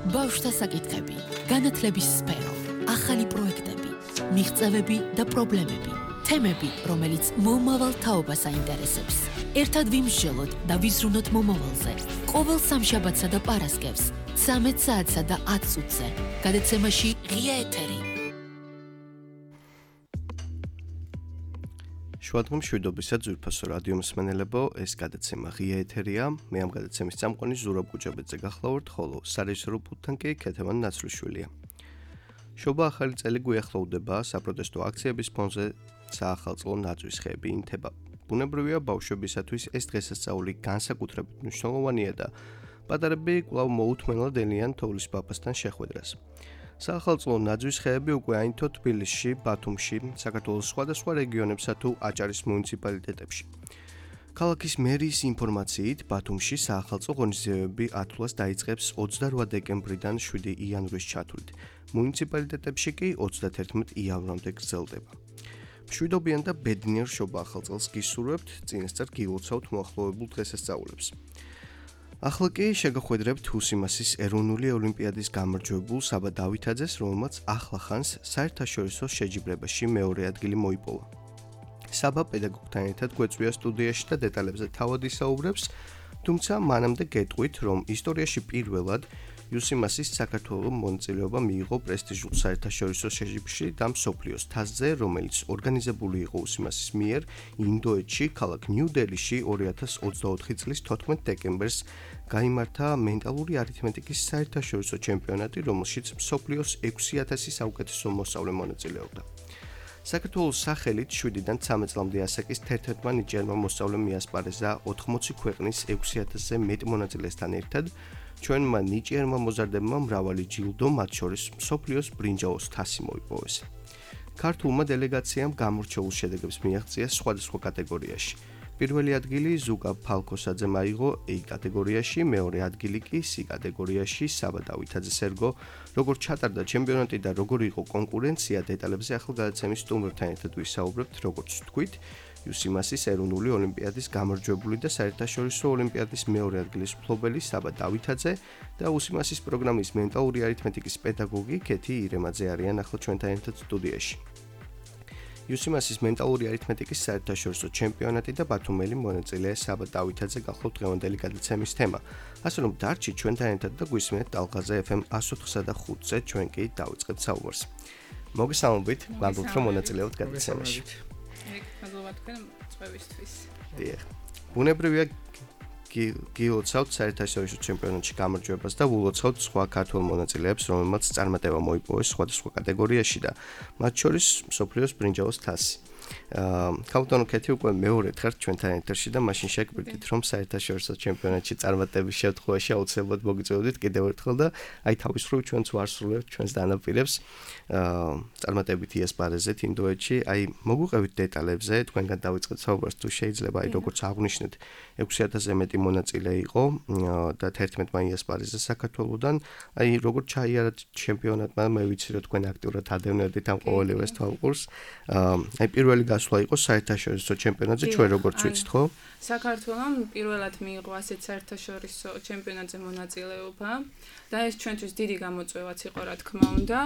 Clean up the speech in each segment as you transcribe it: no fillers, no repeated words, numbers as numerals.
ბავშვთა საკითხები, განათლების სფერო, ახალი პროექტები, მიღწევები და პრობლემები, თემები, რომელიც მომავალ თაობას აინტერესებს. ერთად ვიმსჯელოთ და ვიზრუნოთ მომავალზე. ყოველ სამშაბათსა და პარასკევს, 13 საათსა და 10 წუთზე. გადაცემაში ღია ეთერი. შუადღე მშვიდობისა ძვირფასო რადიო მსმენელებო, ეს გადაცემა ღია ეთერია. მე ამ გადაცემის წამყვანი ზურაბ გუჯაბეძე გახლავართ, ხოლო სარეჟისორო პულტთან კი ქეთევან ნაცვლიშვილია. შობა ახალი წელი გვიახლოვდება, საპროტესტო აქციების ფონზე საახალწლო ნაძვის ხეები ინთება. ბუნებრივია ბავშვებისათვის ეს დღესასწაული განსაკუთრებით მნიშვნელოვანია და პატარები კვლავ მოუთმენლად ელიან თოვლის პაპასთან შეხვედრას. საახალწლო ნაძვის ხეები უკვე აინთო თბილისში, ბათუმში, საქართველოს სხვადასხვა რეგიონებსა თუ აჭარის მუნიციპალიტეტებში. ქალაქის მერიის ინფორმაციით, ბათუმში საახალწლო ღონისძიებები ათვლას დაიწყებს 28 დეკემბრიდან 7 იანვრის ჩათვლით. მუნიციპალიტეტებში კი 31 იანვრამდე გრძელდება. მშვიდობიან და ბედნიერ შობა ახალწელს გისურვებთ, წინასწარ გილოცავთ მოახლოვებულ დღესასწაულებს. ახლა კი შეგახვედრებთ უსიმასის ეროვნული ოლიმპიადის გამარჯვებულ საბა დავითაძეს, რომელმაც ახლა ხანს საერთაშორისო შეჯიბრებაში მეორე ადგილი მოიპოვა. საბა პედაგოგთან ერთად გვეწვია სტუდიაში და დეტალებზე თავად ისაუბრებს, თუმცა მანამდე გეტყვით, რომ ისტორიაში პირველად უსიმასის საქართველოს მონაწილეობა მიიღო პრესტიჟულ საერთაშორისო შეჯიბრში და მსოფლიოს თასზე, რომელიც ორგანიზებული იყო უსიმასის მიერ ინდოეთში, ქალაქ ნიუ-დელიში 2024 წლის 14 დეკემბერს გაიმართა მენტალური არითმეტიკის საერთაშორისო ჩემპიონატი, რომელშიც მსოფლიოს 6000 საუკეთესო მოსწავლე მონაწილეობდა. საქართველოს სახელით 7-დან 13 წლამდე ასაკის 11 ნიჭიერმა მოსწავლემ მიასპარეზა 80 ქვეყნის 6000-ზე მეტ მონაწილესთან ერთად. ჩვენმა ნიჭიერმა მოზარდებმა მრავალი ჯილდო, მათ შორის მსოფლიოს ბრინჯაოს თასი მოიპოვეს. ქართულმა დელეგაციამ გამორჩეულ შედეგებს მიაღწია სხვადასხვა კატეგორიაში. პირველი ადგილი ზუკა ფალკოსაძემ აიღო A კატეგორიაში, მეორე ადგილი კი C კატეგორიაში საბა დავითაძეს ერგო. როგორ ჩატარდა ჩემპიონატი და როგორ იყო კონკურენცია, დეტალებზე ახლა გადაცემის სტუმრთან ერთად ვისაუბრებთ, როგორც თქვით. უსიმასის ეროვნული ოლიმპიადის გამარჯვებული და საერთაშორისო ოლიმპიადის მეორე ადგილის მფლობელი საბა დავითაძე და უსიმასის პროგრამის მენტალური არითმეტიკის პედაგოგი ქეთი ირემაძე არიან ახლა ჩვენთან ერთად სტუდიაში. უსიმასის მენტალური არითმეტიკის საერთაშორისო ჩემპიონატი და ბათუმელი მონაწილე საბა დავითაძე გახლავთ დღევანდელი გადაცემის თემა. ასე რომ დარჩით ჩვენთან ერთად და გვისმენთ ტალღაზე FM 104-სა და 5-ზე, ჩვენ კი დავიწყებთ საუბარს. მოგესალმებით, გვალბობთ რომ მონაწილეობთ გადაცემაში. მადლობა თქვენ წვევისთვის. დიახ. ბუნებრივია გილოცავთ საერთაშორისო ჩემპიონატში გამარჯვებას და ულოცავთ სხვა ქართველ მონაწილეებს, რომელმაც წარმატება მოიპოვეს სხვადასხვა კატეგორიაში და მათ შორის მსოფლიოს ბრინჯაოს თასი. ქალბატონო ქეთი უკვე მეორედ ხართ ჩვენთან ეთერში და მაშინ შეგგვირდით, რომ საერთაშორისო ჩემპიონატში წარმატების შემთხვევაში აუცილებლად მოგიწევდით კიდევ ერთხელ და აი თავისუფლ ჩვენც ვარსრულებთ ჩვენს დანაპირებს. წარმატებით იასპარეზეთ ინდოეთში. აი მოგვიყევით დეტალებზე, თქვენგან დავიწყეთ საუბარს თუ შეიძლება, აი როგორც აღნიშნეთ 6000-ზე მეტი მონაწილე იყო და 11-მა იასპარეზა საქართველოსთან. აი როგორც ჩაიარა ჩემპიონატმა, მე ვიცი რომ თქვენ აქტიურად ადევნებდით ამ ყოველივეს თვალყურს. აი პირველი გასვლა იყო საერთაშორისო ჩემპიონატზე, ჩვენ როგორც ვიცით, ხო? საქართველოს პირველად მიიღო ასეთ საერთაშორისო ჩემპიონატზე მონაწილეობა და ეს ჩვენთვის დიდი გამოწვევაც იყო, რა თქმა უნდა.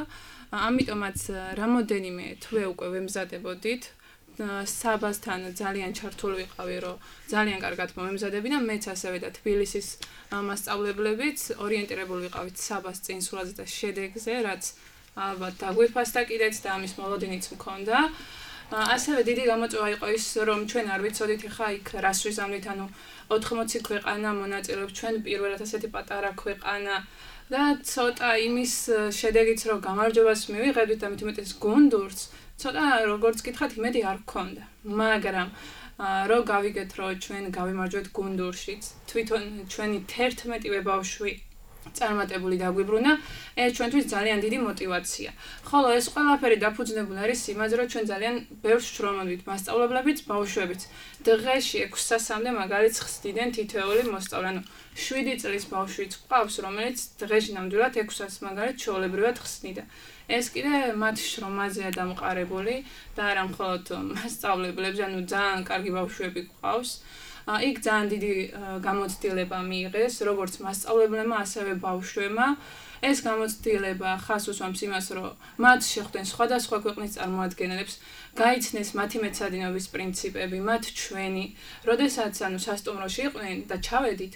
ამიტომაც რამოდენიმე თვე უკვე ვემზადებოდით. საბასთან ძალიან ჩართული ვიყავი, რომ ძალიან კარგად მომემზადები და მეც ასევე და თბილისის მასწავლებლებიც ორიენტირებული ვიყავით საბას წინსვლაზე და შედეგზე, რაც ალბათ დაგვიფასდა კიდეც და ამის მოლოდინიც მქონდა. ასევე დიდი გამოწვევა იყო ის, რომ ჩვენ არ ვიცოდით ხა იქ რას ვიზამნით, ანუ 80 ქვეყანა მონაწილეობს, ჩვენ პირველად ასეთი პატარა ქვეყანა და ცოტა იმის შედეგიც რომ გამარჯვებას მივიღებდით და მით უმეტეს გუნდურს, ცოტა როგორც გითხრათ, იმედი არ გქონდა. მაგრამ რომ გავიგეთ, რომ ჩვენ გავიმარჯვეთ გუნდურშიც, თვითონ ჩვენი 11 ბავშვი წარმატებული დაგვიბრუნა, ეს ჩვენთვის ძალიან დიდი мотиваცია. ხოლო ეს ყველაფერი დაფუძნებული არის იმაზე, რომ ჩვენ ძალიან ბევრს შრომობთ, მასწავლებლებიც, ბავშვებიც. დღეში 6 საათამდე მაგალითს ხსნიდნენ თითოეული მოსწავლე. ანუ 7 წლის ბავშვიც ყავს, რომელიც დღეში ნამდვილად 6 საათს მაგალითს ჩვეულებრივად ხსნიდა. ეს კიდე მათ შრომაზეა დამყარებული და არა მხოლოდ მასწავლებლებს, ანუ ძალიან კარგი ბავშვები ყავს. იქ ძალიან დიდი გამოცდილება მიიღეს, როგორც მასწავლებლებმა, ასევე ბავშვებმა. ეს გამოცდილება ხას უსვამს იმას, რომ მათ შეხვდნენ სხვადასხვა ქვეყნის წარმოადგენელებს, გაიცნეს მათი მეცადინეობის პრინციპები, მათ ჩვენი, როდესაც სასტუმროში იყვნენ და ჩავედით,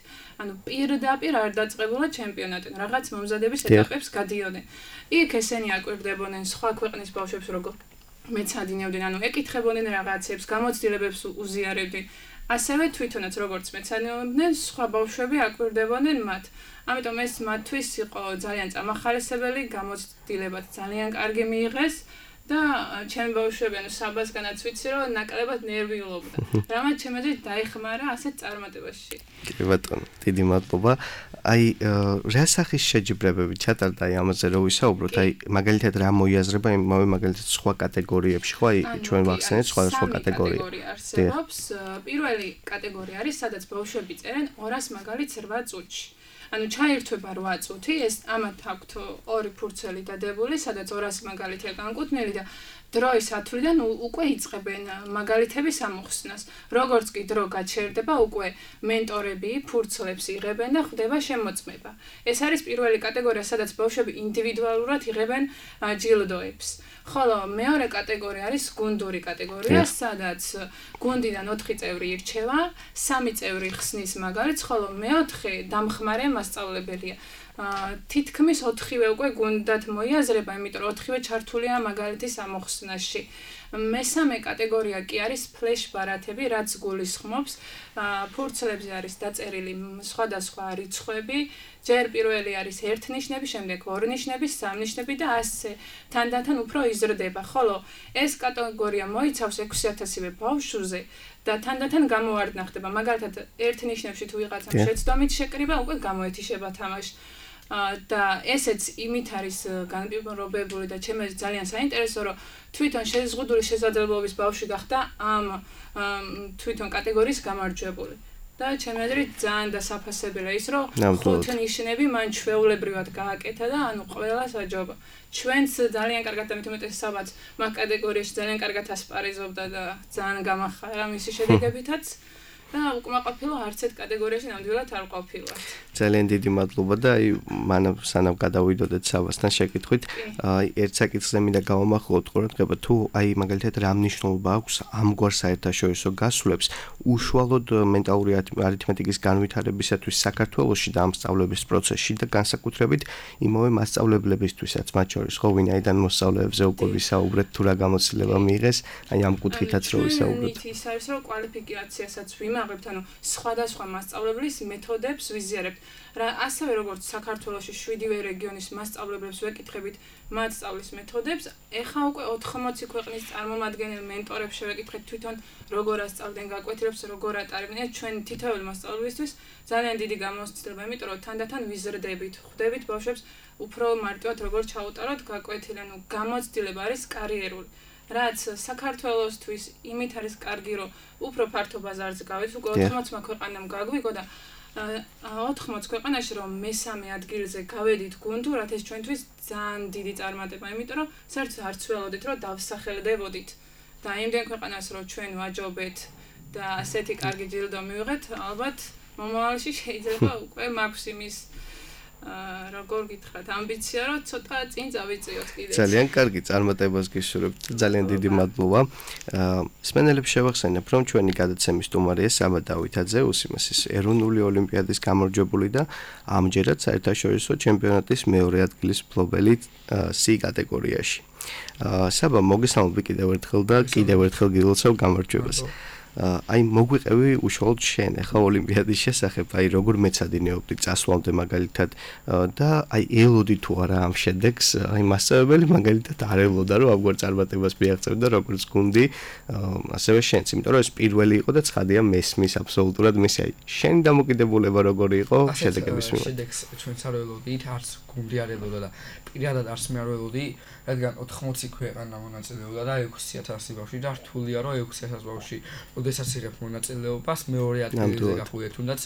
პირდაპირ არ დაწყებულა ჩემპიონატი, რაღაც მომზადების ეტაპებს გადიოდნენ. იქ ესენი აკვირდებოდნენ სხვა ქვეყნის ბავშვებს, როგორ მეცადინეობდნენ, ეკითხებოდნენ რაღაცებს, გამოცდილებებს უზიარებდნენ. ასევე თვითონაც როგორც მეცადინეობდნენ, სხვა ბავშვები აკვირდებოდნენ მათ. ამიტომ ეს მათთვის იყო ძალიან წამახალისებელი, გამოცდილებაც ძალიან კარგი მიიღეს და ჩემი ბავშვები, საბასგანაც ვიცი, რომ ნაკლებად ნერვიულობდა. რამაც ჩემი აზრით დაიხმარა ასეთ წარმატებაში. კი ბატონო, დიდი მადლობა. აი, რა სახის შეჯიბრებები ჩატარდა აი ამაზე რო ვისაუბროთ, აი მაგალითად რა მოიაზრება იმავე მაგალითად სხვა კატეგორიებში, ხო, აი ჩვენ ვახსენეთ სხვადასხვა კატეგორია. არსებობს. პირველი კატეგორია არის, სადაც ბავშვები წერენ 200 მაგალითს 8 წუთში. ჩაირთვება 8 წუთი, ეს ამათ აქვთ ორი ფურცელი დადებული, სადაც 200 მაგალითია განკუთვნილი და დროის ათვლიდან უკვე იწყებენ მაგალითების ამოხსნას. როგორც კი დრო გაჩერდება, უკვე მენტორები ფურცლებს იღებენ და ხდება შემოწმება. ეს არის პირველი კატეგორია, სადაც ბავშვები ინდივიდუალურად იღებენ ჯილდოებს. ხოლო მეორე კატეგორია არის გუნდური კატეგორია, სადაც გუნდიდან 4 წევრი ირჩევა, 3 წევრი ხსნის მაგალითს, ხოლო მეოთხე დამხმარე მასწავლებელია. თითქმის 4-ვე უკვე გუნდად მოიაზრება, იმიტომ რომ 4-ვე ჩართულია მაგალითის ამოხსნაში. მესამე კატეგორია კი არის ფლეშ ბარათები, რაც გულისხმობს, ფურცლებზე არის დაწერილი სხვადასხვა რიცხვები, ჯერ პირველი არის 1 ნიშნები, შემდეგ 2 ნიშნები, 3 ნიშნები და ასე თანდათან უფრო იზრდება, ხოლო ეს კატეგორია მოიცავს 6000-ვე ბავშვზე და თანდათან გამოვარდნა ხდება. მაგალითად, 1 ნიშნებში თუ ვიღაცამ შეცდომით შეკრიბა, უკვე გამოეთიშება თამაში. და ესეც იმით არის განპირობებული და ჩემს ძალიან საინტერესო, რომ თვითონ შეზღუდული შესაძლებლობის ბავშვი გახდა ამ თვითონ კატეგორიის გამარჯვებული. და ჩემს აზრით ძალიან დასაფასებელია ის, რომ 5 ნიშნები მან ჩვეულებრივად გააკეთა და ყველას აჯობა. ჩვენც ძალიან კარგად და მithumetes საბაც მაგ კატეგორიაში ძალიან კარგად ასპარეზობდა და ძალიან გამახარა მისი შედეგებითაც. და უკმაყოფილო არც ერთ კატეგორიაში ნამდვილად არ ყოფილა. ძალიან დიდი მადლობა და აი მანამ სანამ გადავიდოდეთ საბასთან შეკითხვით, აი ერთ საკითხზე მინდა გავამახვილოთ ყურადღება, თუ აი მაგალითად რა მნიშვნელობა აქვს ამგვარ საერთაშორისო გასვლებს უშუალოდ მენტალური არითმეტიკის განვითარებისათვის საქართველოში და ამ სწავლების პროცესში და განსაკუთრებით იმავე მასწავლებლებისთვისაც, მათ შორის ხო ვინაიდან მოსწავლეებზე უკვე ვისაუბრეთ, თუ რა გამოცდილება მიიღეს, აი ამ კუთხითაც რო ვისაუბროთ. ის არის რომ კვალიფიკაციასაც ვიმაღლებთ, სხვადასხვა მასწავლებლის მეთოდებს ვიზიარებთ. ასევე როგორც საქართველოში 7-ვე რეგიონის მასწავლებლებს ვეკითხებით მათ სწავლის მეთოდებს, ეხა უკვე 80 ქვეყნის წარმომადგენელ მენტორებს შევეკითხეთ თვითონ როგორ ასწავლდნენ გაკვეთილებს, როგორ ატარებდნენ. ჩვენ თითოეული მასწავლებისთვის ძალიან დიდი გამოცდილება, იმიტომ რომ თანდათან ვიზრდებით, ხვდებით ბავშვებს უფრო მარტივად როგორ ჩაუტაროთ გაკვეთილი, გამოცდილება არის კარიერული. რაც საქართველოსთვის იმით არის კარგი, რომ უფრო ფართო ბაზარზე გავეთ, უკვე 80 ქვეყანამ გაგვიგო და 80 ქვეყანაში რომ მესამე ადგილზე გავედით გუნდურად, ეს ჩვენთვის ძალიან დიდი წარმატება, იმიტომ რომ საერთოდ არც ველოდით, რომ დავსახელდებოდით და იმდენ ქვეყანას რომ ჩვენ ვაჯობეთ და ასეთი კარგი ჯილდო მივიღეთ, ალბათ მომავალში შეიძლება უკვე მაქვს იმის როგორ გითხრათ, ამბიცია რომ ცოტა წინ წავიწიოთ კიდე. ძალიან კარგი წარმატებას გისურვებთ. ძალიან დიდი მადლობა. მსმენელებს შევახსენებ, რომ ჩვენი გადაცემის სტუმარია საბა დავითაძე, უსიმასის ეროვნული ოლიმპიადის გამარჯვებული და ამჯერად საერთაშორისო ჩემპიონატის მეორე ადგილის მფლობელი C კატეგორიაში. საბა, მოგესალმები კიდევ ერთხელ და კიდევ ერთხელ გილოცავ გამარჯვებას. აი მოგვიყევი უშუალოდ შენ ახლა ოლიმპიადის შესახებ, აი როგორ მეცადინეობდი წასვლამდე მაგალითად და აი ელოდი თუ არა ამ შედეგს, აი მასწავლებელი მაგალითად არ ელოდა რომ ამგვარ წარმატებას მიაღწევდა როგორც გუნდი, ასევე შენც, იმიტომ რომ ეს პირველი იყო და ცხადია მესმის აბსოლუტურად მისი, აი შენი დამოკიდებულება როგორი იყო შედეგების მიმართ. შედეგს ჩვენც არ ველოდით, არც გუნდი არ ელოდა და პირადად არც მე არ ველოდი, რადგან 80 ქვეყანა მონაწილეობდა და 6000 ბავშვი და რთულია რომ 6000 ბავშვი როდესაც იღებ მონაწილეობას, მეორე ადგილზე გახვიდე, თუნდაც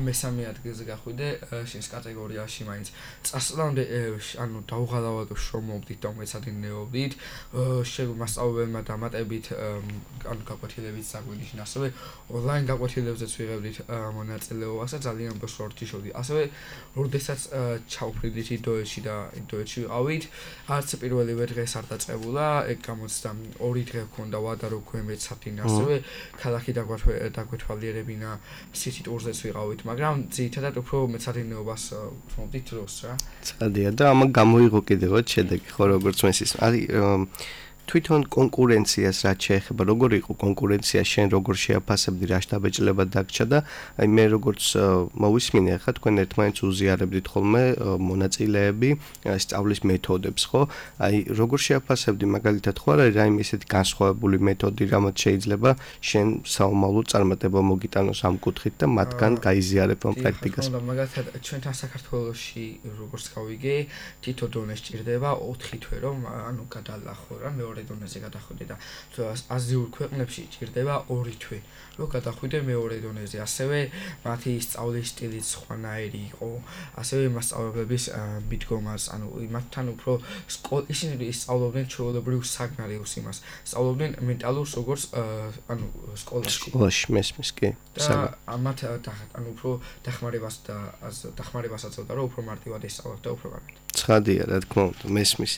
მესამე ადგილზე გახვიდე შენს კატეგორიაში მაინც. წასვლამდე ანუ დაუღალავად შრომობდით და მეცადინეობდით, მასწავლებელმა დამატებით ანუ გაკვეთილებიც საგვინიშნა, ასევე ონლაინ გაკვეთილებზეც ვიღებდით მონაწილეობას და ძალიან ბოსორტი შევდი. ასევე როდესაც ჩავფრიდით ინდოეთში და ინდოეთში ვიყავით, არც პირველივე დღეს არ დაწყებულა, ეგ გამოცდა 2 დღე გქონდა ვადა რო გვემეცადინა, ასევე ქალაქი დაგვეთვალიერებინა სიტი ტურზეც ვიყავით, მაგრამ ძირითადად უფრო მეცადინეობას ვთმობდით დროს რა. ცხადია და ამან გამოიღო კიდევაც შედეგი, ხო როგორც მესის. არის თვითონ კონკურენციას რაც შეეხება, როგორ იყო კონკურენცია, შენ როგორ შეაფასებდი, რა შთაბეჭდილება დაგჭა და აი მე როგორც მოვისმინე, ხა თქვენ ერთმანეთს უზიარებდით ხოლმე მონაწილეები, სწავლის მეთოდებს, ხო? აი როგორ შეაფასებდი მაგალითად ხო არა რაიმე ისეთი განსხვავებული მეთოდი, რამაც შეიძლება შენ საომავლო წარმატება მოგიტანოს ამ კუთხით და მათგან გაიზიარებ ამ პრაქტიკას. მაგალითად ჩვენთან საქართველოში როგორც გავიგე, თითო დონე სჭირდება 4 თვე რომ ანუ გადალახო რა მეორე დონეზე გადახვიდე და აზიურ ქვეყნებში ჭირდება 2 თვე რომ გადახვიდე მეორე დონეზე. ასევე მათი სწავლის სტილიც სხვანაირი იყო, ასევე მასწავლებლების მიდგომას, ანუ მათთან უფრო ისინი სწავლობდნენ ჩვეულებრივ საგნარიოს იმას, სწავლობდნენ მენტალურს როგორც ანუ სკოლაში მესმის კი. და ამათ ანუ უფრო დახმარებას აწევდა რომ უფრო მარტივად ესწავლოთ და უფრო კარგად. ცხადია, რა თქმა უნდა, მესმის.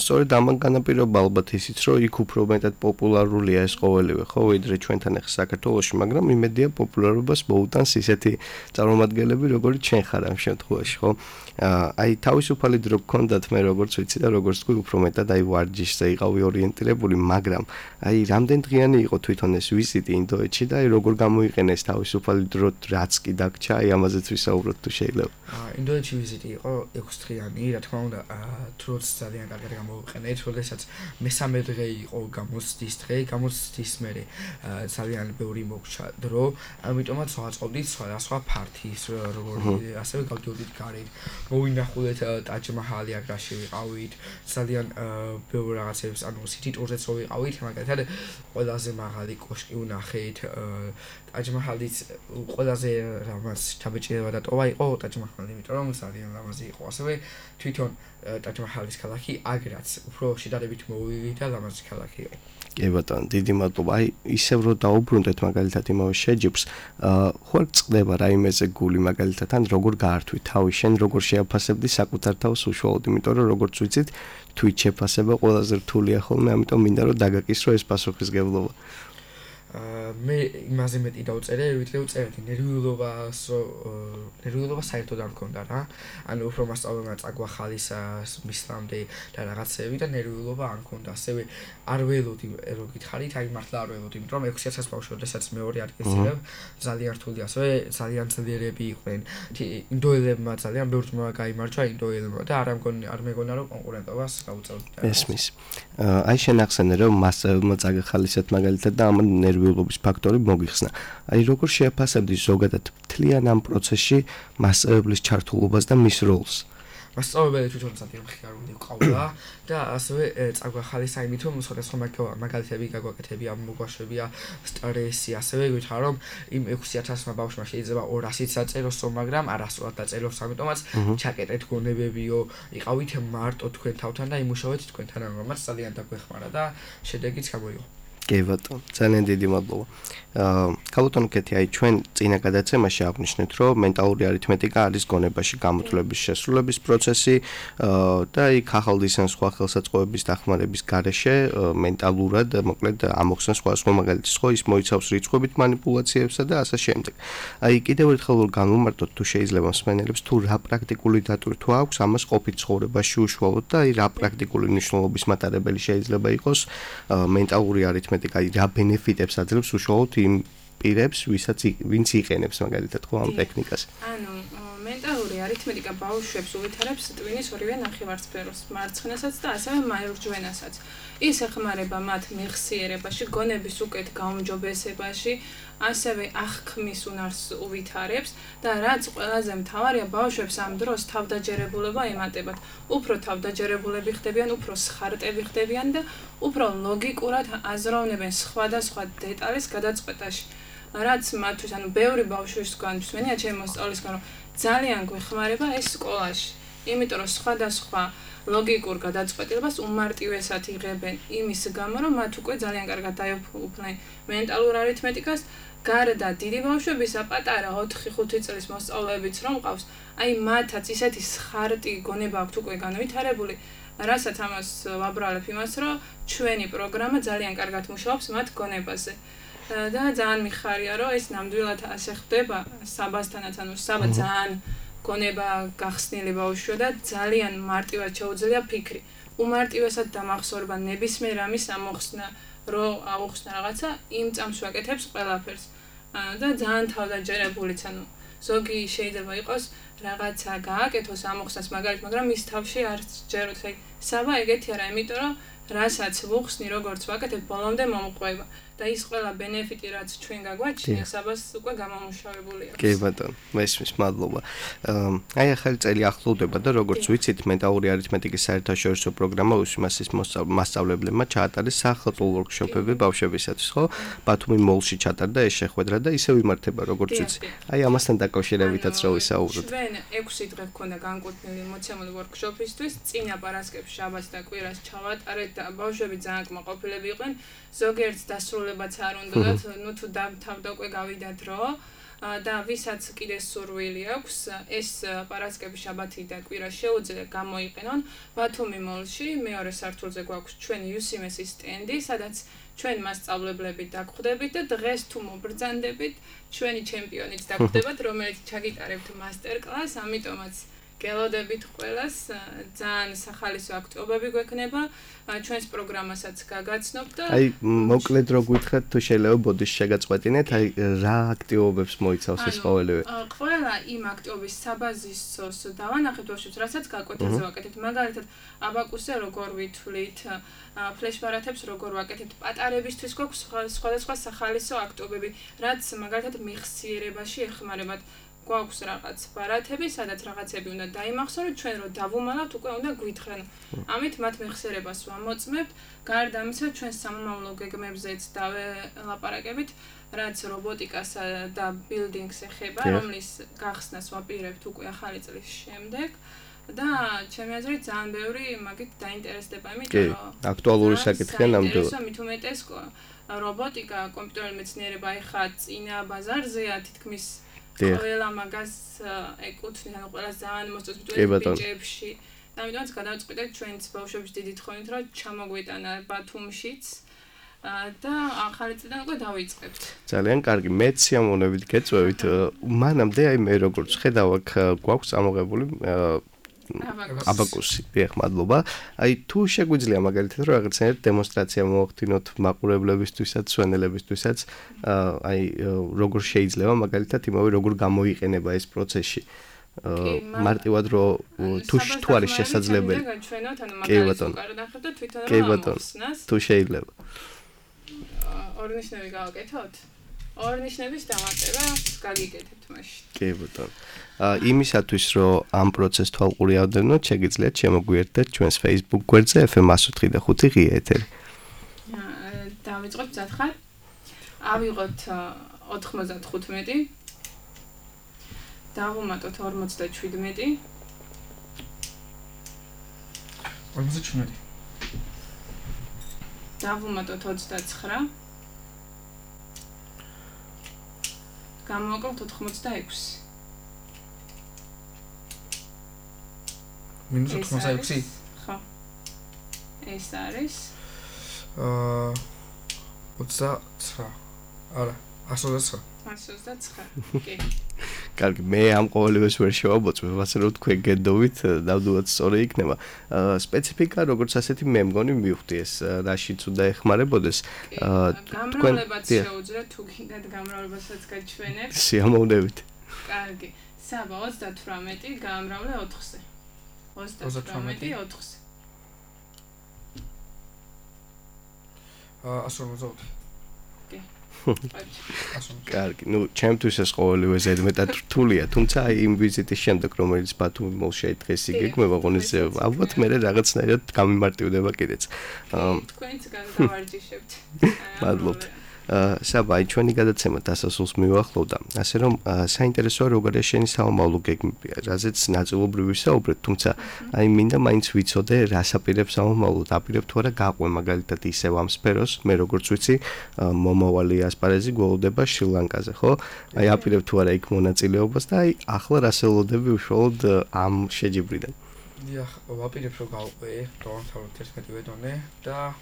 სწორედ ამან განაპირობა ალბათ ისიც, რომ იქ უფრო მეტად პოპულარულია ეს ყოველივე, ხო, ვიდრე ჩვენთან ახლა საქართველოში, მაგრამ იმედია პოპულარობას მოუტანს ისეთი წარმომადგენლები, როგორც ჩვენ ხარ ამ შემთხვევაში, ხო? აი თავისუფალი დრო გქონდათ მე როგორც ვიცი და როგორც თქვი უფრო მეტად აი ვარჯიშზე იყავი ორიენტირებული, მაგრამ აი რამდენ დღიანი იყო თვითონ ეს ვიზიტი ინდოეთში და აი როგორ გამოიყენეს თავისუფალი დრო რაც კი დაგჭა, აი ამაზეც ვისაუბროთ თუ შეიძლება. ინდოეთში ვიზიტი იყო 6 დღიანი, რა თქმა უნდა, დროც ძალიან კარგად გამოვიყენეთ, როდესაც მესამე დღე იყო გამოცდის დღე, გამოცდის მერე ძალიან ბევრი მოგჩა დრო, ამიტომაც ვაწყობდით სხვა ფართის, როგორი ასევე გავდიოდით გარეთ. მოვინახულეთ ტაჯ-მაჰალი აგრაში ვიყავით, ძალიან ბევრ რაღაცებს, ანუ სიტი ტურზეც ვიყავით, მაგალითად ყველაზე მაღალი კოშკი ვნახეთ, ტაჯ-მაჰალიც ყველაზე რამაც შთაბეჭდილება დატოვა იყო ტაჯ-მაჰალი, იმიტომ რომ ძალიან ლამაზი იყო. ასევე თვითონ ტაჯ-მაჰალის ქალაქი აგრაც უფრო შედარებით მოვივი და ლამაზი ქალაქი იყო. კი ბატონო, დიდი მადლობა. აი ისევ რომ დაუბრუნდეთ მაგალითად იმავე შეჯიბს, ხوار წდება რაიმეზე გული მაგალითად, ან როგორ გაართვი თავი, შენ როგორ შეაფასებდი საკუთარ თავს უშუალოდ, იმიტომ რომ როგორც ვიცით, თვით შეფასება ყველაზე რთულია ხოლმე, ამიტომ მინდა რომ დაგაკისრო ეს პასუხისგებლობა. მე იმაზე მეტი დავწერე, ვიდრე ვწერდი ნერვიულობა საერთოდ არ მქონდა რა. ანუ უფრო მასწავლებელმა წაგვახალისას მისლამდე და რაღაცები და ნერვიულობა არ მქონდა. ასევე არ ველოდი რო გითხარით, აი მართლა არ ველოდი, იმიტომ რომ 6000 ბავშვი, როდესაც მეორე ადგილს იღებ, ძალიან რთული, ასევე ძალიან ძლიერები იყვნენ. ინდოელებმა ძალიან ბევრ ძმა გაიმარჯვა ინდოელებმა და არ მეგონა რომ კონკურენტობას გაუწევდით. ესმის. აი შენ ახსენე რომ მასწავლებელმა წაგახალისეთ მაგალითად და ამ ნერვიულობის ფაქტორი მოგიხსნა. აი როგორ შეაფასებდი ზოგადად მთლიან ამ პროცესში მასწავლებლის ჩართულობას და მის როლს? მასწავლებელი თვითონ ძალიან მხიარული ყავდა და ასევე წაგვახალისა იმით რომ სხვადასხვა მაგალითები გაგვაკეთებია, მოგვაშვებია სტრესი, ასევე გითხრა რომ იმ 6000 ბავშვმა შეიძლება 200-იც დაწეროსო, მაგრამ არასწორად დაწეროს, ამიტომაც ჩაკეტეთ გონებებიო, იყავით მარტო თქვენ თავთან და იმუშავეთ თქვენთან, რომელმაც ძალიან დაგვეხმარა და შედეგიც გამოიღო. კი ბატონო, ძალიან დიდი მადლობა. ქალბატონო კეთი, აი ჩვენ წინა გადაცემაში აღნიშნეთ, რომ მენტალური არითმეტიკა არის გონებაში გამოთვლების შესრულების პროცესი და იქ ახალდის ან სხვა ხელსაწყოების დახმარების გარეშე მენტალურად, მოკლედ ამოხსნა სხვა მაგალითის ხო ის მოიცავს რიცხვებით манипуляციებსა და ასე შემდეგ. აი კიდევ ერთხელ განვმარტოთ თუ შეიძლება მსმენელებს თუ რა პრაქტიკული დატვირთვა აქვს ამას ყოფით ცხოვრებაში უშუალოდ და აი რა პრაქტიკული მნიშვნელობის მატარებელი შეიძლება იყოს მენტალური არითმეტიკა, აი რა ბენეფიტებს აძლევს უშუალოდ იმ პირებს, ვინც იყენებს მაგალითად ხო ამ ტექნიკას. ანუ მენტალური არითმეტიკა ბავშვებს უვითარებს ტვინის ორივე ნახევარსფეროს, მარცხნასაც და ასევე მარჯვენასაც. ის ეხმარება მათ მეხსიერებაში, გონების უკეთ გაუმჯობესებაში, ასევე აღქმის უნარს უვითარებს და რაც ყველაზე მთავარია, ბავშვებს ამ დროს თავდაჯერებულება ემატებათ. უფრო თავდაჯერებულები ხდებიან, უფრო სხარტები ხდებიან და უფრო ლოგიკურად აზროვნებენ სხვადასხვა დეტალის გადაწყვეტაში. რაც მათთვის, ბევრი ბავშვისგან მსმენია ჩემი მოსწავლისგან, რომ ძალიან გვეხმარება ეს სკოლაში. იმიტომ რომ სხვადასხვა ლოგიკურ გადაწყვეტილებას უმარტივესად იღებენ იმის გამო, რომ მათ უკვე ძალიან კარგად დაეუფლნენ მენტალურ არითმეტიკას, გარდა დიდი ბავშვებისა, პატარა 4-5 წლის მოსწავლეებიც რომ ყავს, აი მათაც ისეთი სხარტი გონება აქვთ უკვე განვითარებული, რასაც ამას ვაბრალებ იმას, რომ ჩვენი პროგრამა ძალიან კარგად მუშაობს მათ გონებაზე. და ძალიან მიხარია, რომ ეს ნამდვილად ასე ხდება საბასთანაც, საბა ძალიან გონება გახსნილი ბავშვია და ძალიან მარტივად შეუძლია ფიქრი. უმარტივესად დამახსოვრება ნებისმიერ ამის ამოხსნა, რომ აუხსნა რაღაცა, იმ წამს ვაკეთებს ყველაფერს. და ძალიან თავდაჯერებულიც, ზოგი შეიძლება იყოს რაღაცა გააკეთოს ამოხსნას მაგალითად, მაგრამ მის თავში არ ჯეროთ. საბა ეგეთი არა, იმიტომ რომ რასაც ვუხსნი, როგორც ვაკეთებ, ბოლომდე მომყვება. და ის ყველა ბენეფიტი, რაც ჩვენ გაგვაჩნია, საბას უკვე გამომუშავებული აქვს. კი ბატონო, მესმის მადლობა. აი ახალი წელი ახლოვდება და როგორც ვიცით, მენტალური არითმეტიკის საერთაშორისო პროგრამა უსმასის მასწავლებლებმა ჩაატარეს სახელმწიფო ვორქშოპები ბავშვებისათვის, ხო? ბათუმი მოლში ჩატარდა ეს შეხვედრა და ისევ იმართება, როგორც ვიცი. აი ამასთან დაკავშირებითაც რო ვისაუბროთ. ჩვენ 6 დღე გქონდა განკუთვნილი მოცემული ვორქშოპისთვის, წინა პარასკევს, შაბათს და კვირას ჩავატარეთ და ბავშვები ძალიან კმაყოფილები იყვნენ. ზოგიერთ დასრულებაც არ უნდათ, თუ დავთავდა უკვე გავიდა დრო და ვისაც კიდე სურვილი აქვს, ეს პარასკევი, შაბათი და კვირა შეუძლია გამოიყენონ ბათუმი მოლში, მეორე სართულზე გვაქვს ჩვენი UCMS-ის სტენდი, სადაც ჩვენ მასწავლებლები დაგხვდებით და დღეს თუ მობრძანდებით, ჩვენი ჩემპიონიც დაგხვდებათ, რომელიც ჩაგიტარებთ მასტერ-კლასს, ამიტომაც გელოდებით ყველას, ძალიან სახალისო აქტიობები გვექნება, ჩვენს პროგრამასაც გაგაცნობთ და აი მოკლედ რო გითხრათ, თუ შეიძლება ბოდიში შეგაწყვეტინეთ, აი რა აქტიობებს მოიცავს ეს ყოველივე? ყველა იმ აქტიობის საბაზისოს დავანახეთ ბავშვებს, რასაც გაკვეთილზე ვაკეთებთ. მაგალითად, აბაკუსზე როგორ ვითვლით, ფლეშბარათებს როგორ ვაკეთებთ, პატარებისთვის გვაქვს სხვადასხვა სახალისო აქტიობები, რაც მაგალითად მეხსიერებაში ეხმარებათ. გვაქვს რაღაც ბარათები, სადაც რაღაცები უნდა დაიმახსოვროთ, ჩვენ რო დავუმალავთ, უკვე უნდა გვითხრან. ამით მათ მეხსიერებას ვამოწმებთ. გარდა ამისა, ჩვენ სამომავლო გეგმებზეც დაველაპარაკებით, რაც რობოტიკას და ბილდინგს ეხება, რომლის გახსნას ვაპირებთ უკვე ახალი წლის შემდეგ. და ჩემი აზრით ძალიან ბევრი მაგით დაინტერესდება, იმიტომ რომ აქტუალური საკითხია ნამდვილად. მით უმეტეს რობოტიკა, კომპიუტერული მეცნიერება ეხა წინა ბაზარზეა, თითქმის ყველა მაგას ეკუთვნის, ყველა ძალიან მოსწონს ბიჭებში. და ამიტომაც გადავწყვიტეთ ჩვენც ბავშვების დიდი თხოვნით, რომ ჩამოგვიტანა ბათუმშიც და ახალი წლიდან უკვე დავიწყებთ. ძალიან კარგი, მეც სიამოვნებით გეწვევით. მანამდე აი მე როგორც ხედავ, აქ გვაქვს წამოღებული აბაკუსი, დიახ, მადლობა. აი თუ შეგვიძლია მაგალითად რომ რაღაცნაირად დემონსტრაცია მოვახდინოთ მაყურებლებისთვისაც, სვენელებისთვისაც, აი როგორ შეიძლება მაგალითად იმავე როგორ გამოიყენება ეს პროცესი. მარტივად რომ თუ არის შესაძლებელი. კი ბატონო. კი ბატონო. თუ შეიძლება. ორნიშნები გავაკეთოთ? ორნიშნების დამატება გაგიკეთებთ მაშინ. კი ბატონო. იმისათვის რომ ამ პროცესს თვალყური ავდევნოთ, შეგიძლიათ შემოგვიერთდეთ ჩვენს Facebook გვერდზე FM105 ღია ეთერი. დავიწყოთ მზადხარ. ავიღოთ 95. დავუმატოთ 57. 57. დავუმატოთ 29. გამოვაკლოთ 86. მინუს 86? ხო. ეს არის 29. არა, 129. 129. კი. კარგი, მე ამ ყოველივეს ვერ შევაბოწმებ, ასე რომ თქვენ გენდობით, ნამდვილად სწორი იქნება. სპეციფიკა როგორც ასეთი მე მგონი მივხვდი ეს რაშიც უნდა ეხმარებოდეს. გამრავლებაც შეუძლიათ, თუ გინდათ გამრავლებასაც გაჩვენებთ. სიამოვნებით. კარგი. საბა 38 გაამრავლე 4-ზე. 38 4-ზე. 150. კი. კარგი, ჩემთვის ეს ყოველივე ზედმეტად რთულია, თუმცა აი იმ ვიზიტის შემდეგ, რომელიც ბათუმი მოლში დღეს იგეგმება, ღონისძიება, ალბათ მე რაღაცნაირად გამიმარტივდება კიდეც. თქვენც გავარჯიშებთ. მადლობთ. საბა, ჩვენი გადაცემა დასასრულს მივახლოვდა, ასე რომ საინტერესოა როგორია შენი საომავლო გეგმები, რაზეც ნაწილობრივ ვისაუბრეთ, თუმცა აი მინდა მაინც ვიცოდე, რას აპირებს საომავლო, აპირებ თუ არა გაყვე მაგალითად ისევ ამ სფეროს, მე როგორც ვიცი, მომავალი ასპარეზი გველოდება შრი-ლანკაზე, ხო? აი აპირებ თუ არა იქ მონაწილეობას და აი ახლა რას ელოდები უშუალოდ ამ შეჯიბრიდან? დიახ, ვაპირებ რომ გავყვე, დავამთავროთ 11 დონე და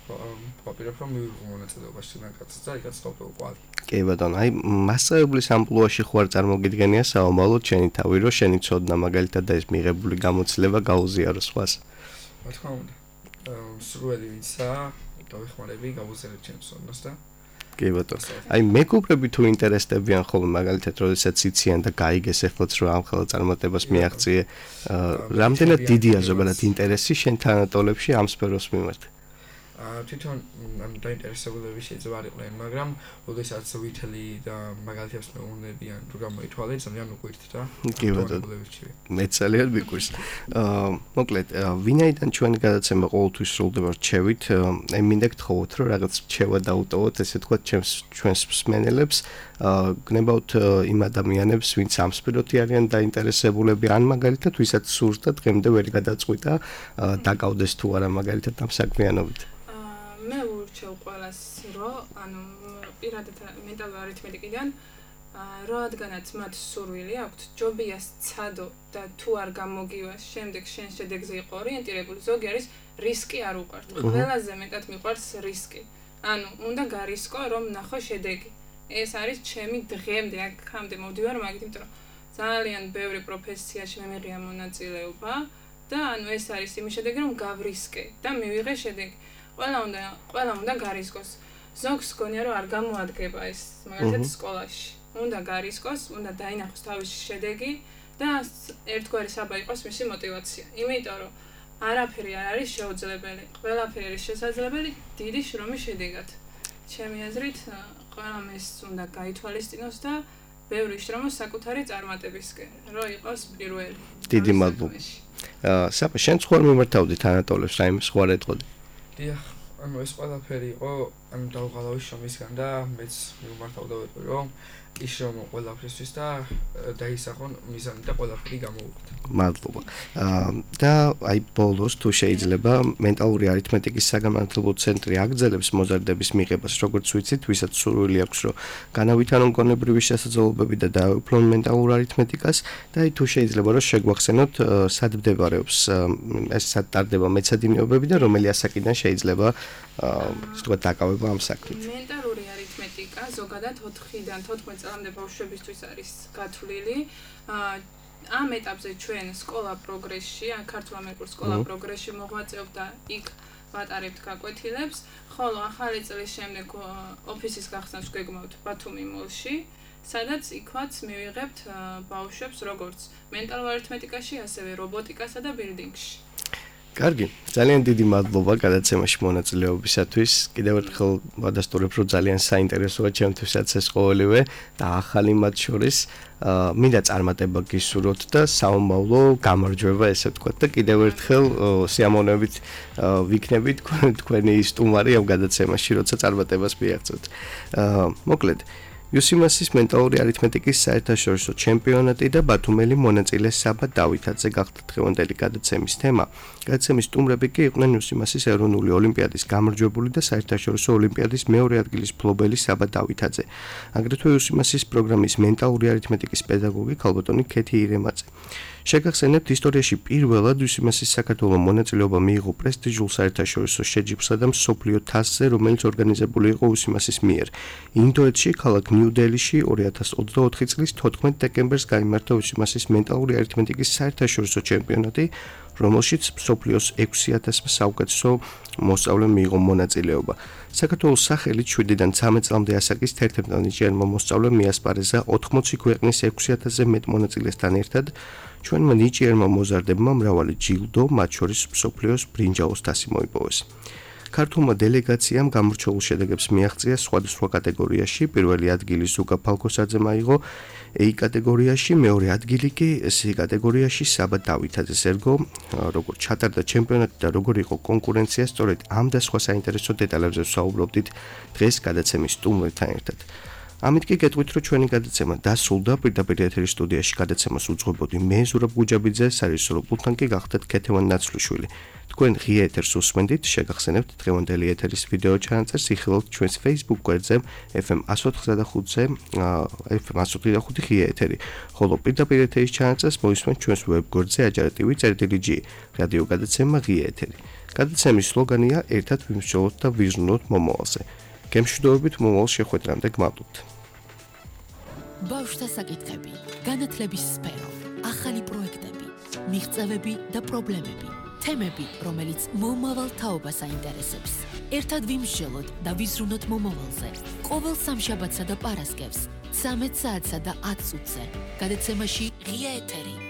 ვაპირებ რომ მივიღო მონაწილეობა შრი-ლანკაზე და იქაც დავტოვო კვალი. კი ბატონო, აი მასწავლებლის ამპლუაში ხوار წარმოგიდგენია საომავლო შენი თავი, რომ შენი ცოდნა მაგალითად და ეს მიღებული გამოცდილება გაუზიარო სხვას. რა თქმა უნდა, სრული ვინცა დავეხმარები გავუზიარებ ჩემს ცოდნას და კი ბატონო. აი მეგობრები თუ ინტერესდებიან ხოლმე მაგალითად, როდესაც იციან და გაიგეს ეხლაც რომ ამ ხელა წარმატებას მიაღწიე, რამდენად დიდია ზოგადად ინტერესი შენ თანატოლებში ამ სფეროს მიმართ? თვითონ დაინტერესებულები შეიძლება არ იყვნენ, მაგრამ როდესაც ვითელი და მაგალითებს მეუბნებიან რომ გამოითვალე, ძალიან უყვირთ და კი ბატონო. მე ძალიან მიყვარს. მოკლედ, ვინაიდან ჩვენი გადაცემა ყოველთვის სრულდება რჩევით, აი მინდა გთხოვოთ რომ რაღაც რჩევა დაუტოვოთ, ესე თქვა ჩვენს მსმენელებს, გნებავთ იმ ადამიანებს, ვინც ამ სფეროთი არიან დაინტერესებულები, ან მაგალითად ვისაც სურს და დღემდე ვერ გადაწყვიტა, დაკავდეს თუ არა მაგალითად ამ საქმიანობით. მე ვურჩევ ყველას, რომ ანუ პირადად მენტალური არითმეტიკიდან რადგანაც მათ სურვილი აქვთ, ჯობია სცადო და თუ არ გამოგივას, შემდეგ შენ შედეგზე იყო ორიენტირებული, ზოგი არის რისკი არ უყვართ. ყველაზე მეტად მიყვარს რისკი. ანუ უნდა გარისკო, რომ ნახო შედეგი. ეს არის ჩემი დღემდე აქამდე მოვდივარ მაგით, იმიტომ რომ ძალიან ბევრი პროფესიაში მე მიღია მონაწილეობა და ანუ ეს არის იმის შედეგი, რომ გავრისკე და მივიღე შედეგი. ყველა უნდა გარისკოს. ზოგს გონია რომ არ გამოადგება ეს მაგალითად სკოლაში. უნდა გარისკოს, უნდა დაინახოს თავისი შედეგი და ერთგვარი საბა იყოს მისი мотиваცია. იმიტომ რომ არაფერი არ არის შეუძლებელი. ყველაფერი არის შესაძლებელი დიდი შრომის შედეგად. ჩემი აზრით, ყველამ ეს უნდა გაითვალისწინოს და ბევრი შრომოს საკუთარი წარმატებისკენ, რომ იყოს პირველი. დიდი მადლობა. საბა, შენ სხვა მიმართავდი თანატოლებს, რაიმე სხვა ეტყოდი? დიახ, ანუ ეს ყველაფერი იყო, ანუ დავღალავი შრომისგან და მეც მიმართავდა ვეტყვი, რომ იშრომო ყველაფრისთვის და დაისახონ მიზანი და ყველაფერი გამოვუხდეთ. მადლობა. და აი ბოლოს თუ შეიძლება მენტალური არითმეტიკის საგანმანათლებლო ცენტრი აგრძელებს მოზარდების მიღებას, როგორც ვიცით, ვისაც სურვილი აქვს, რომ განავითარონ გონებრივი შესაძლებლობები და დაეუფლონ მენტალურ არითმეტიკას და აი თუ შეიძლება რომ შეგვახსენოთ, სად მდებარეობს ეს სად ტარდება მეცადინეობები და რომელი ასაკიდან შეიძლება ასე ვთქვათ დაკავება ამ საქმით. მენტალური არითმეტიკა ზოგადად 4-დან 14 წლამდე ბავშვებისთვის არის გათვლილი. ამ ეტაპზე ჩვენ სკოლა პროგრესში, ან ქართულ ამერიკულ სკოლა პროგრესში მოღვაწეობთ და იქ ვატარებთ გაკვეთილებს, ხოლო ახალი წლის შემდეგ ოფისის გახსნას გვეგმავთ ბათუმი მოლში, სადაც იქაც მივიღებთ ბავშვებს როგორც მენტალურ არითმეტიკაში, ასევე რობოტიკასა და ბილდინგში. კარგი, ძალიან დიდი მადლობა გადაცემაში მონაწილეობისათვის. კიდევ ერთხელ ვადასტურებ, რომ ძალიან საინტერესოა ჩემთვისაც ეს ყოველივე და ახალი მათ შორის მინდა წარმატება გისურვოთ და საომავლო გამარჯვება, ესე ვთქვათ და კიდევ ერთხელ სიამოვნებით ვიქნებით თქვენი სტუმარი ამ გადაცემაში, როცა წარმატებას მიაღწევთ. მოკლედ UCMAS-ის მენტალური არითმეტიკის საერთაშორისო ჩემპიონატი და ბათუმელი მონაწილე საბა დავითაძე გახდა დღევანდელი გადაცემის თემა. გადაცემის სტუმრები კი იყვნენ UCMAS-ის ეროვნული ოლიმპიადის გამარჯვებული და საერთაშორისო ოლიმპიადის მეორე ადგილის მფლობელი საბა დავითაძე. აგრეთვე UCMAS-ის პროგრამის მენტალური არითმეტიკის პედაგოგი ქალბატონი ქეთი ირემაძე. შეგახსენებთ, ისტორიაში პირველად UCMAS-ის საქართველოს მონაწილეობა მიიღო პრესტიჟულ საერთაშორისო შეჯიბრსა და მსოფლიო თასზე, რომელიც ორგანიზებული იყო UCMAS-ის მიერ. ინდოეთში, ქალაქ ნიუ-დელიში 2024 წლის 14 დეკემბერს გაიმართა UCMAS-ის მენტალური არითმეტიკის საერთაშორისო ჩემპიონატი, რომელშიც მსოფლიოს 6000 საუკეთესო მოსწავლემ მიიღო მონაწილეობა. საქართველოს სახელით 7-დან 13 წლამდე ასაკის 11 ნიჭიერმა მოსწავლემ მიასპარეზა 80 ქვეყნის 6000-ზე მეტ მონაწილესთან ერთად. ჩვენმა ნიჭიერმა მოზარდებმა მრავალი ჯილდო, მათ შორის მსოფლიოს ბრინჯაოს თასი მოიპოვეს. ქართულმა დელეგაციამ გამორჩეულ შედეგებს მიაღწია სხვადასხვა კატეგორიაში. პირველი ადგილი ზუკა ფალკოსაძემ აიღო A კატეგორიაში, მეორე ადგილი კი C კატეგორიაში საბა დავითაძეს ერგო. როგორ ჩატარდა ჩემპიონატი და როგორ იყო კონკურენცია, სწორედ ამ და სხვა საინტერესო დეტალებზე ვსაუბრობდით დღეს გადაცემის სტუმრებთან ერთად. ამით კი გეტყვით, რომ ჩვენი გადაცემა დასრულდა. პირდაპირ ეთერის სტუდიაში გადაცემას უძღვებოდი მე ზურაბ გუჯაბიძე, სარეჟისორო პულტთან კი გახდათ ქეთევან ნაცვლიშვილი. თქვენ ღია ეთერს უსმენდით, შეგახსენებთ დღევანდელი ეთერის ვიდეო ჩანაწერს იხილავთ ჩვენს Facebook გვერდზე FM 104.5-ზე, FM 104.5 ღია ეთერი. ხოლო პირდაპირ ეთერის ჩანაწერს მოისმენთ ჩვენს ვებ გვერდზე ajartv.gi. რადიო გადაცემა ღია ეთერი. გადაცემის სლოგანია ერთად ვიმსჯელოთ და ვიზრუნოთ მომავალზე. გემშვიდობებით მომავალ შეხვედრამდე გმადლობთ. ბავშვთა საკითხები, განათლების სფერო, ახალი პროექტები, მიღწევები და პრობლემები, თემები, რომელიც მომავალ თაობას აინტერესებს. ერთად ვიმსჯელოთ და ვიზრუნოთ მომავალზე. ყოველ სამშაბათსა და პარასკევს 13 საათსა და 10 წუთზე. გადაცემაში ღია ეთერი.